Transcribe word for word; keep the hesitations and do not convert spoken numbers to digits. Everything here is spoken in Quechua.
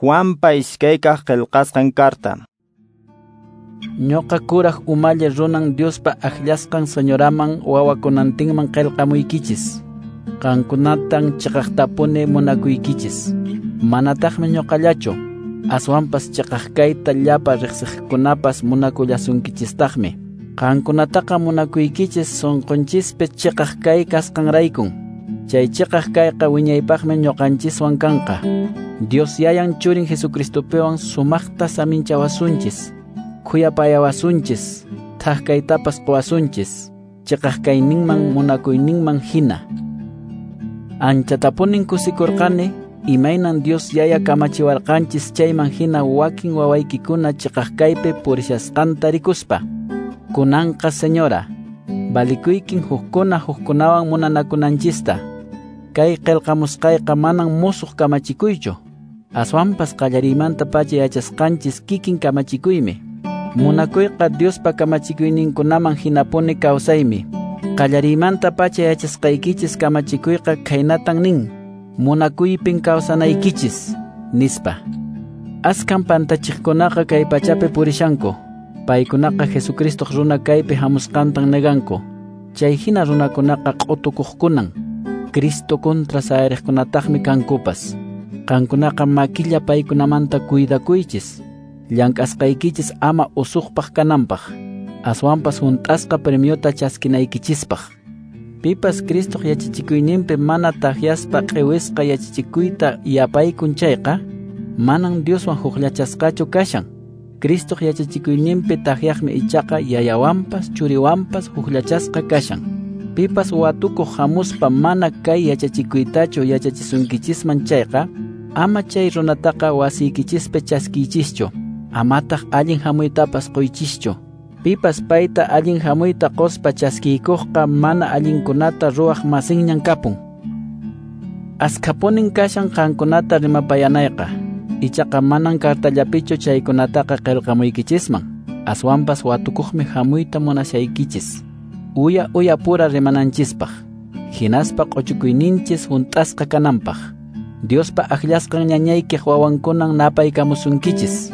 Juanpa iskaykaq qillqasqan karta. Ñuqa kuraq umalli runan Diospa akllasqan señoraman wawakunantinman qillqamuykichis. Qankunatan chiqaqtapuni munakuykichis. Manataqmi ñuqallachu, aswanpas chiqaq kayta llapa riqsiqkunapas munakullasunkichistaqmi. Qankunataqa munakuykichis sunqunchispi chiqaq kay kasqanraykun. Chay chiqaq kayqa wiñaypaqmi ñuqanchiswan kanqa. Dios yayan churin Jesucristopiwan sumaqta saminchawasunchis, khuyapayawasunchis, thak kaytapas quwasunchis, chiqaq kayninman munakuyninman hina. Anchatapunin kusikurqani, imaynan Dios yaya kamachiwarqanchis chayman hina wakin wawaykikuna chiqaq kaypi purishasqanta rikuspa. Kunanqa señora, valikuykin hukkuna hukkunawan munanakunanchista. Kay qillqamusqayqa manan musuq kamachikuychu. Aswanpas qallariymanta pacha yachasqanchis kikin kamachikuymi. Munakuyqa Diospa kamachikuyninkunaman hinapuni kawsaymi. Qallariymanta pacha yachasqaykichis kamachikuyqa khaynatan nin: munakuypin kawsanaykichis, nispa. Askan pantachiqkunaqa kay pachapi purishanku. Paykunaqa Jesucristoq runa kaypi hamusqantan neganku. Chay hina runakunaqa q'utukuqkunan. Cristo contra sayariqkunataqmi kankupas. Qankunaqa makilla paykunamanta cuidakuychis. Llank'asqaykichis ama usuqpaq kananpaq. Aswanpas hunt'asqa premiota chaskinaykichispaq. Pipas Cristoq yachachikuyninpi mana takyaspa q'iwisqa yachachikuyta yapaykun chayqa, manan Dioswan hukllachasqachu kashan. Cristoq yachachikuyninpi takyaqmi ichaqa yayawanpas churiwanpas hukllachasqa kashan. Pipas watukuq hamuspa mana kay yachachikuytachu yachachisunkichisman chayqa, ama chay runataqa wasiykichispi chaskiychischu, amataq allin hamuytapas quychischu. Pipas payta allin hamuyta quspa chaskiykuqqa mana allinkunata ruwaq masinñan kapun. Askhapunin kashan qankunata rimapayanayqa, ichaqa manan kartallapichu chaykunataqa qillqamuykichisman, aswanpas watukuqmi hamuyta munashaykichis. Uya uya pura rimananchispaq, hinaspa q'uchukuyninchis hunt'asqa kananpaq. Diospa akllasqan ñañaykiq wawankunan napaykamusunkichis.